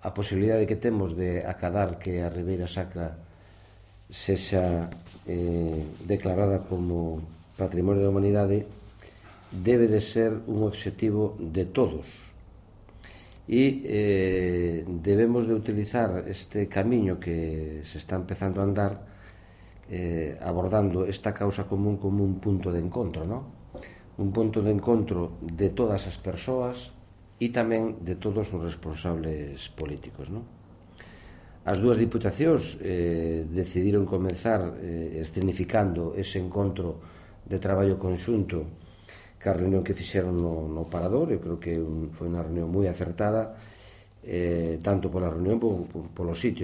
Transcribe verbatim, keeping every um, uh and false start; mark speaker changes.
Speaker 1: a posibilidade que temos de acadar que a Ribeira Sacra sexa eh, declarada como Patrimonio da Humanidade debe de ser un obxectivo de todos e eh, debemos de utilizar este camiño que se está empezando a andar eh, abordando esta causa común como un punto de encontro, ¿no? Un punto de encontro de todas as persoas e tamén de todos os responsables políticos, ¿no? As dúas diputacións eh, decidiron comenzar eh, escenificando ese encontro de traballo conxunto que a reunión que fixeron no, no Parador. Eu creo que un, foi unha reunión moi acertada, eh, tanto pola reunión como polo sitio